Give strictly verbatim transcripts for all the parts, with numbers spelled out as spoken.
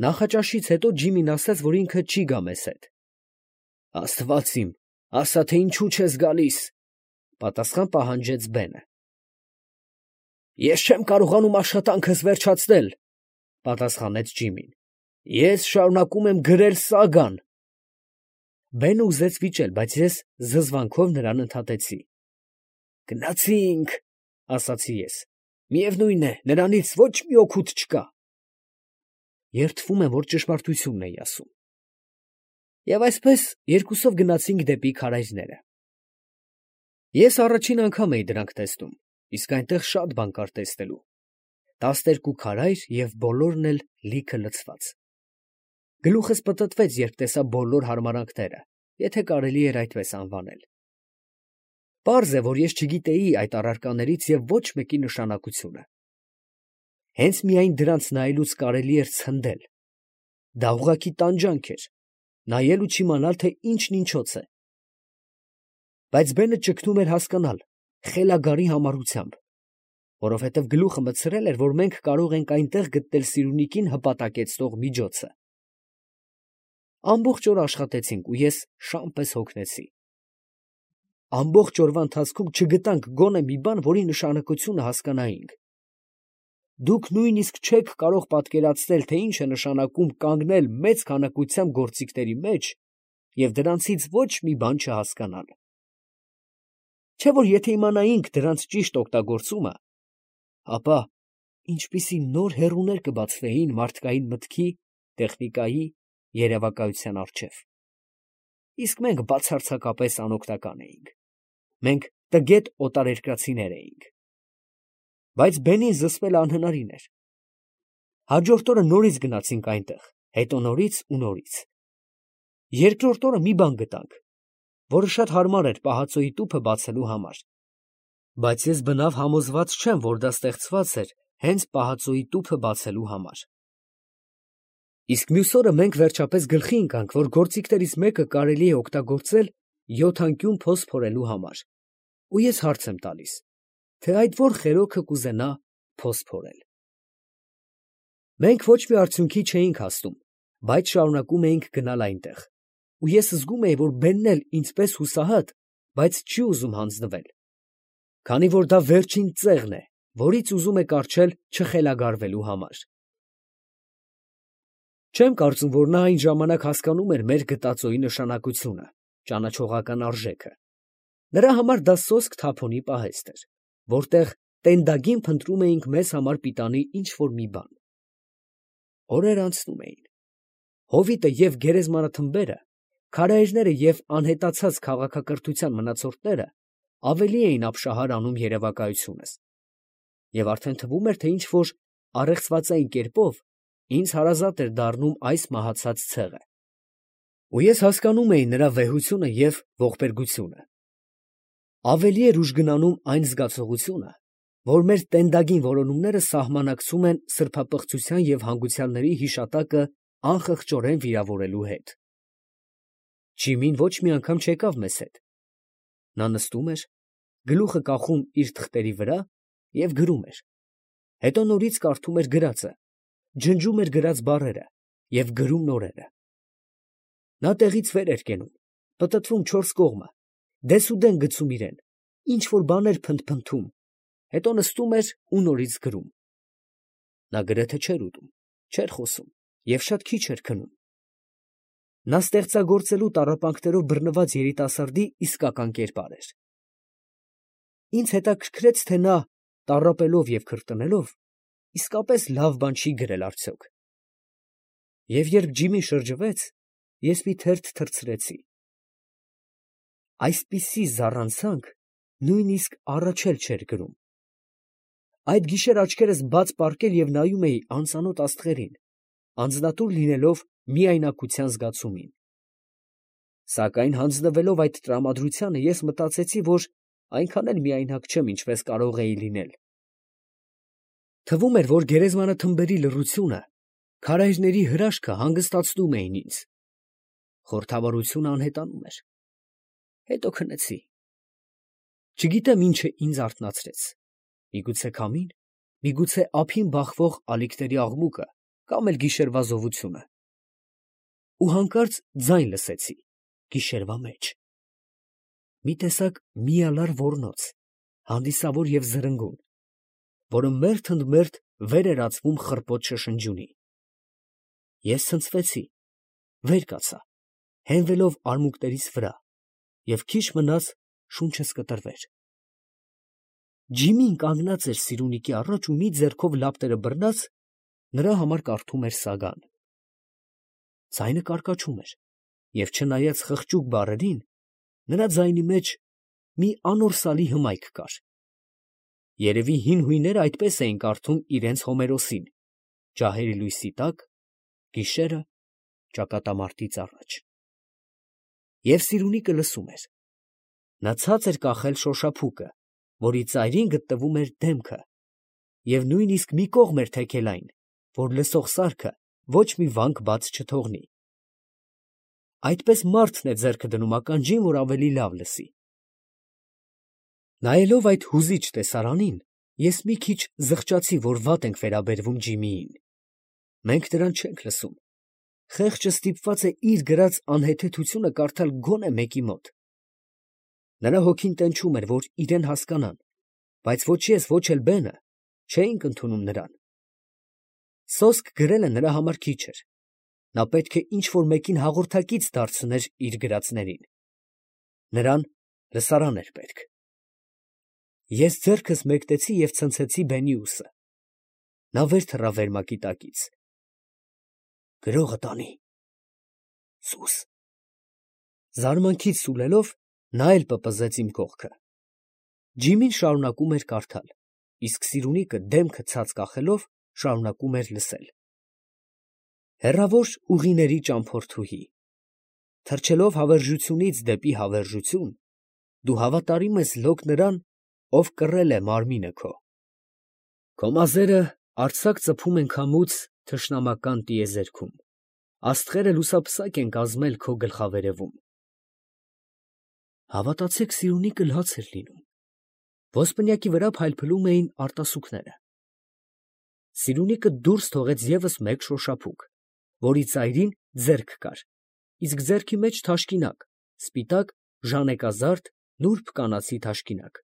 Նախաճաշից հետո Ջիմին ասաց, որ ինքը չի գա մեզ հետ։ Աստված իմ, ասա, թե ինչու չես գալիս, պատասխան պահանջեց Բենը։ Ես չեմ կարողանում աշխատանքս վերջացնել, պատասխանեց Ջիմին։ Ես շարունակում եմ գրել սագան։ Բենը ուզեց վիճել, բայց ես զզվանքով նրան ընդհատեցի։ Գնացինք, ասացի ես։ Միևնույն է, նրանից ոչ մի օգուտ չկա։ Երդվում եմ, որ ճշմարտությունն էի ասում։ Եվ այսպես երկուսով գնացինք դեպի քարայրները։ Ես առաջին անգամ էի դրանք տեսնում, իսկ այնտեղ շատ բան կար տեսնելու։ Տասներկու քարայր և բոլորն էլ լիքը լցված։ Գլուխս պտտվեց, երբ տեսա բոլոր հարմարանքները, եթե կարելի էր այդպես անվանել։ Պարզ է, որ ես չգիտեի այդ առարկաներից և ոչ մեկի նշանակությունը։ Հենց միայն դրանց նայելուց կարելի էր ցնդել։ Դա ուղղակի տանջանք էր, նայել ու չիմանալ, թե ինչն ինչոց է։ Բայց Բենը ճգնում էր հասկանալ, խելագարի համառությամբ, որովհետև գլուխը մտցրել էր, որ մենք կարող ենք այնտեղ գտնել սիրունիկին հպատակեցնող միջոցը։ Ամբողջ օր աշխատեցինք ու ես շան պես հոգնեցի։ Ամբողջ օրվա ընթացքում չգտանք գոնե մի բան, որի նշանակությունը հասկանայինք։ Դուք նույնիսկ չեք կարող պատկերացնել, թե ինչ է նշանակում կանգնել մեծ քանակությամբ գործիքների մեջ և դրանցից ոչ մի բան չհասկանալ։ Չէ՞ որ եթե իմանայինք դրանց ճիշտ օգտագործումը, ապա ինչպիսի նոր հեռուներ կբացվեին մարդկային մտքի, տեխնիկայի, երևակայության առջև։ Իսկ մենք բացարձակապես անօգնական էինք։ Մենք տգետ օտարերկրացիներ էինք։ Բայց Բենին զսպելը անհնարին էր։ Հաջորդ օրը նորից գնացինք այնտեղ, հետո նորից ու նորից։ Երկրորդ օրը մի բան գտանք, որը շատ հարմար էր պահածոյի տուփը բացելու համար։ Բայց ես բնավ համոզված չեմ, որ դա ստեղծված էր հենց պահածոյի տուփը բացելու համար։ Իսկ մյուս օրը մենք վերջապես գլխի ընկանք, որ գործիքներից մեկը կարելի է օգտագործել յոթանկյուն փոս փորելու համար։ Ու ես հարց եմ տալիս, թե այդ ո՞ր խելոքը կուզենա փոս փորել։ Մենք ոչ մի արդյունքի չէինք հասնում, բայց շարունակում էինք գնալ այնտեղ, ու ես զգում էի, որ Բենն էլ ինձպես հուսահատ, բայց չի ուզում հանձնվել, քանի որ դա վերջին ծեղն է, որից ուզում է կառչել չխելագարվելու համար։ Չեմ կարծում, որ նա այն ժամանակ հասկանում էր մեր գտածոյի նշանակությունը, ճանաչողական արժեքը։ Նրա համար դա սոսկ թափոնի պահեստ էր, որտեղ տենդագին փնտրում էինք մեզ համար պիտանի ինչ-որ մի բան։ Օրեր անցնում էին։ Հովիտը և գերեզմանաթմբերը, քարայրները և անհետացած քաղաքակրթության մնացորդները ավելի էին ապշահար անում երևակայությունս, և արդեն թվում էր, թե ինչ-որ առեղծվածային կերպով ինձ հարազատ էր դառնում այս մահացած ցեղը։ Ու ես հասկանում էի նրա վեհությունը և ողբերգությունը։ Ավելի էր ուժգնանում այն զգացողությունը, որ մեր տենդագին որոնումները սահմանակցում են սրբապղծության և հանգուցյալների հիշատակը անխղճորեն վիրավորելու հետ։ Ջիմին ոչ մի անգամ չեկավ մեզ հետ։ Նա նստում էր, գլուխը կախում իր թղթերի վրա և գրում էր, հետո նորից կարդում էր գրածը, ջնջում էր գրած բառերը և գրում նորերը։ Նա տեղից վեր էր կենում, պտտվում չորս կողմը, դեսուդեն գցում իրան, ինչ֊որ բաներ փնթփնթում, հետո նստում էր ու նորից գրում։ Նա գրեթե չէր ուտում, չէր խոսում և շատ քիչ էր քնում։ Նա ստեղծագործելու տառապանքներով բռնված երիտասարդի իսկական կերպար էր։ Ինձ հետաքրքրեց, թե նա, տառապելով և քրտնելով, իսկապես լավ բան չի գրել արդյոք։ Եվ երբ Ջիմին շրջվեց, ես մի թերթ թռցրեցի։ Այսպիսի զառանցանք նույնիսկ առաջ էլ չէր գրում։ Այդ գիշեր աչքերս բաց պառկել և նայում էի անծանոթ աստղերին, անձնատուր լինելով միայնակության զգացումին։ Սակայն հանձնվելով այդ տրամադրությանը, ես մտածեցի, որ այնքան էլ միայնակ չեմ, ինչպես կարող էի լինել։ Թվում էր, որ գերեզմանաթմբերի լռությունը, քարայրների հրաշքը հանգստացնում էին ինձ։ Խորհրդավորությունը անհետանում էր։ Հետո քնեցի։ Չգիտեմ ինչ ինձ արթնացրեց. միգուցե քամին, միգուցե ափին բախվող ալիքների աղմուկը կամ էլ գիշերվա զովությունը։ Ու հանկարծ ձայն լսեցի, գիշերվա մեջ։ Մի տեսակ միալար ոռնոց, հանդիսավոր և զրնգուն, որը մերթ ընդ մերթ վեր էր ածվում խռպոտ շշնջյունի։ Ես ցնցվեցի, վեր կացա, հենվելով արմունկներիս վրա, և քիչ մնաց շունչս կտրվեր։ Ջիմին կանգնած էր Սիրունիկի առաջ ու մի ձեռքով լապտերը բռնած, նրա համար կարդում էր սագան։ Ձայնը կարկաչում էր, և չնայած խղճուկ բառերին, նրա ձայնի մեջ մի անորսալի հմայք կար։ Երևի հին հույները այդպես էին կարդում իրենց Հոմերոսին, ջահերի լույսի տակ, գիշերը ճակատամարտից առաջ։ Եվ Սիրունիկը լսում էր։ Նա ցած էր կախել շոշափուկը, որի ծայրին գտնվում էր դեմքը, և նույնիսկ մի կողմ էր թեքել այն, որ լսող սարքը ոչ մի վանք բաց չթողնի։ Այդպես մարդն է ձեռքը դնում ականջին, որ ավելի լավ լսի։ Նայելով այդ հուզիչ տեսարանին, ես մի քիչ զղջացի, որ վատ ենք վերաբերվում Ջիմիին։ Մենք նրան չենք լսում։ Խեղճը ստիպված է իր գրած անհեթեթությունը կարդալ գոնե մեկի մոտ։ Նրա հոգին տենչում էր, որ իրեն հասկանան, բայց ոչ ես, ոչ էլ բենը չէինք ընդունում նրան։ Սոսկ գրելը նրա համար քիչ էր։ Նա պետք է ինչ֊որ մեկին հաղորդակից դարձներ իր գրածներին։ Նրան լսարան էր պետք։ Ես ձեռքս մեկնեցի և ցնցեցի բենի ուսը։ Նա վեր թռավ վերմակի տակից։ Գրողը տանի։ Սուս։ Զարմանքից սուլելով, նա էլ պպզեց իմ կողքը։ Ջիմին շարունակում էր կարդալ, իսկ Սիրունիկը դեմքը ցած կախելով շարունակում էր լսել։ Հեռավոր ուղիների ճամփորդուհի, թռչելով հավերժությունից դեպի հավերժություն, դու հավատարիմ ես լոկ նրան, ով կռել է մարմինը քո։ Քո մազերը արձակ ծփում են քամուց թշնամական տիեզերքում, աստղերը լուսափսակ են կազմել քո գլխավերևում։ Հավատացեք, Սիրունիկը լաց էր լինում։ Ոսպնյակի վրա փայլփլում էին արտասուքները։ Սիրունիկը դուրս թողեց ևս մեկ շոշափուկ, որի ծայրին ձեռք կար, իսկ ձեռքի մեջ թաշկինակ, սպիտակ, ժանեկազարդ, նուրբ կանացի թաշկինակ։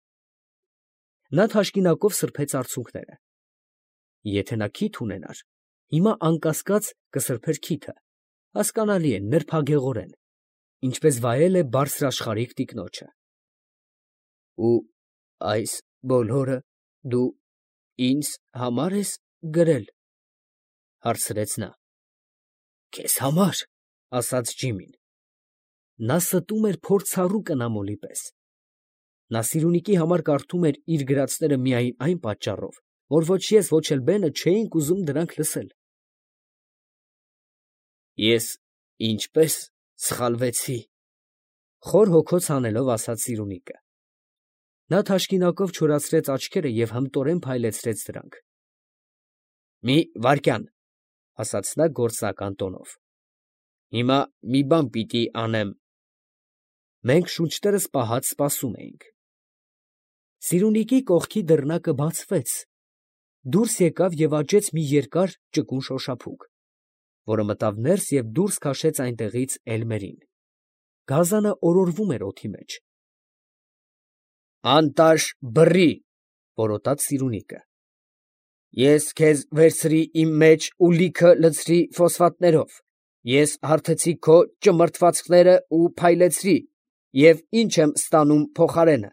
Նա թաշկինակով սրբեց արցունքները։ Եթե նա քիթ ունենար, հիմա անկասկած կսրբեր քիթը, հասկանալի է, նրբագեղորեն, ինչպես վայել է բարձրաշխարհիկ տիկնոջը։ Ու այս բոլորը դու ինձ համար ես գրել, հարցրեց նա։ Քեզ համար, ասաց Ջիմին։ Նա ստում էր փորձառու կնամոլի պես։ Նա Սիրունիկի համար կարդում էր իր գրածները միայն այն պատճառով, որ ոչ ես, ոչ էլ բենը չէինք ուզում դրանք լսել։ Ես ինչպես սխալվեցի, խոր հոգոց հանելով ասաց Սիրունիկը։ Նա թաշկինակով չորացրեց աչքերը և հմտորեն փայլեցրեց դրանք։ Մի վայրկյան, ասաց նա գործնական տոնով։ Հիմա մի բան պիտի անեմ։ Մենք շունչներս պահած սպասում էինք։ Սիրունիկի կողքի դռնակը բացվեց, դուրս եկավ և աճեց մի երկար ճկուն շոշափուկ, որը մտավ ներս և դուրս քաշեց այնտեղից էլմերին։ Գազանը օրորվում էր օդի մեջ։ Անտաշ բռի, որոտաց Սիրունիկը։ Ես քեզ վերցրի իմ մեջ ու լիքը լցրի ֆոսֆատներով, ես հարթեցի քո ճմրթվածքները ու փայլեցրի, և ինչ եմ ստանում փոխարենը,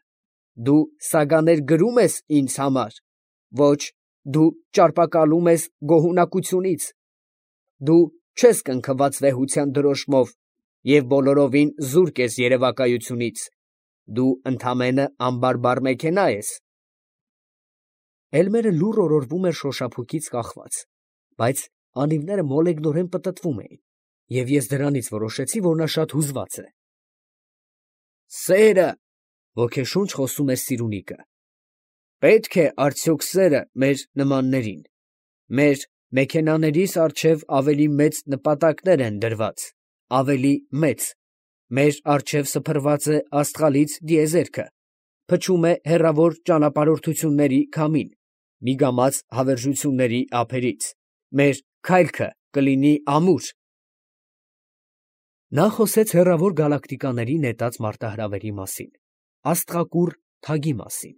դու սագաներ գրում ես ինձ համար, ոչ, դու ճարպակալում ես գոհունակությունից, դու չես կնքված վեհության դրոշմով և բոլորովին զուրկ ես երևակայությունից, դու ընդամենը անբարբար մեքենա ես։ Էլմերը լուռ օրորվում էր շոշափուկից կախված, բայց անիվները մոլեգնորեն պտտվում էին, և ես դրանից որոշեցի, որ նա շատ հուզված է։ Սերը, ոգեշունչ խոսում էր Սիրունիկը, պետք է արդյոք սերը մեր նմաններին, մեր մեքենաներիս առջև ավելի մեծ նպատակներ են դրված, ավելի մեծ, մեր առջև սփռված է աստղալից տիեզերքը, փչում է հեռավոր ճանապարհորդությունների քամին, միգամած հավերժությունների ափերից, մեր քայլքը կլինի ամուր։ Նա խոսեց հեռավոր գալակտիկաների նետած մարտահրավերի մասին, աստղակուռ թագի մասին,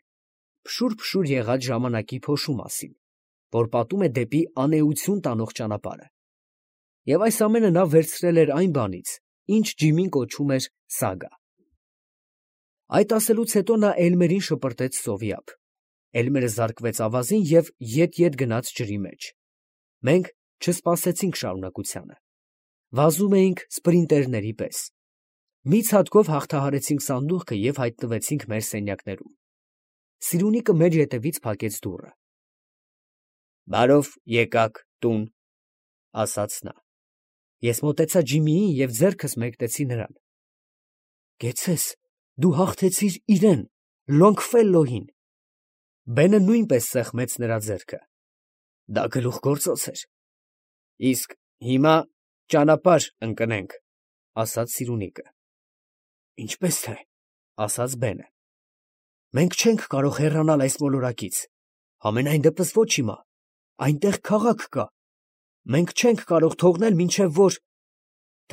փշուր-փշուր եղած ժամանակի փոշու մասին, որ պատում է դեպի անէություն տանող ճանապարհը։ Եվ այս ամենը նա վերցրել էր այն բանից, ինչ Ջիմին կոչում էր սագա։ Այդ ասելուց հետո նա Էլմերին շպրտեց սովի ափ։ Էլմերը զարկվեց ավազին և ետ-ետ գնաց ջրի մեջ։ Մենք չսպասեցինք շարունակությանը։ Վազում էինք սպրինտերների պես։ Մի ցատկով հաղթահարեցինք սանդուղքը և հայտնվեցինք մեր սենյակներում։ Սիրունիկը մեր ետևից փակեց դուռը։ «Բարով եկաք տուն», ասաց նա։ Ես մոտեցա Ջիմիին և ձեռքս մեկնեցի նրան։ «Կեցցես, դու հաղթեցիր իրեն, Լոնգֆելլոյին»։ Բենը նույնպես սեղմեց նրա ձեռքը։ Դա գլուխգործոց էր։ «Իսկ հիմա ճանապարհ ընկնենք», ասաց սիրունիկը։ «Ինչպես թե», ասաց Բենը։ «Մենք չենք կարող հեռանալ այս մոլորակից, համենայն դեպս ոչ հիմա, այնտեղ քաղաք կա, մենք չենք կարող թողնել, մինչև որ…»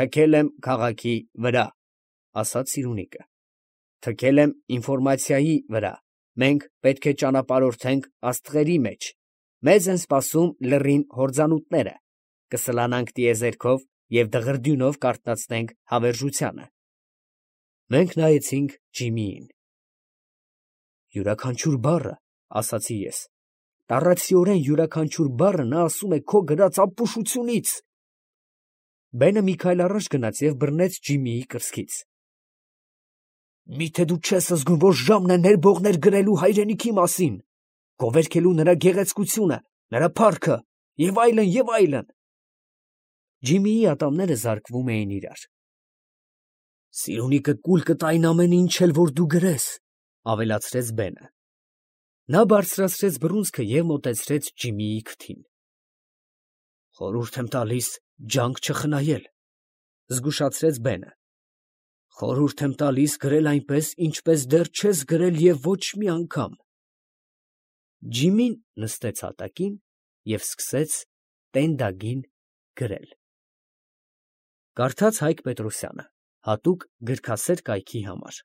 «Թքել եմ քաղաքի վրա», ասաց սիրունիկը։ «Թքել եմ ինֆորմացիայի վրա, մենք պետք է ճանապարհորդենք աստղերի մեջ, մեզ են սպասում լեռին հորձանուտները, կսլանանք տիեզերքով և դղրդյունով կարթնացնենք հավերժությանը»։ Մենք նայեցինք Ջիմիին։ «Յուրաքանչյուր բառը, ասացի ես, տառացիորեն յուրաքանչյուր բառը նա ասում է քո գրած ապուշությունից»։ Բենը մի քայլ առաջ գնաց և բռնեց Ջիմիի կրծքից։ «Մի՞թե դու չես զգում, որ ժամն է ներբողներ գրելու հայրենիքի մասին, գովերգելու նրա գեղեցկությունը, նրա փառքը և այլն, և այլն»։ Ջիմիի ատամները զարկվում էին իրար։ «Սիրունիկը կուլ կտա այն ամեն ինչ էլ, որ դու գրես», ավելացրեց Բենը։ Նա բարձրացրեց բռունցքը և մոտեցրեց Ջիմիի քթին։ «Խորհուրդ եմ տալիս ջանք չխնայել», զգուշացրեց Բենը։ «Խորհուրդ եմ տալիս գրել այնպես, ինչպես դեռ չես գրել և ոչ մի անգամ»։ Ջիմին նստեց հատակին և սկսեց տենդագին գրել։ Կարդաց Հայկ Պետրոսյանը, հատուկ գրքասեր կայքի համար։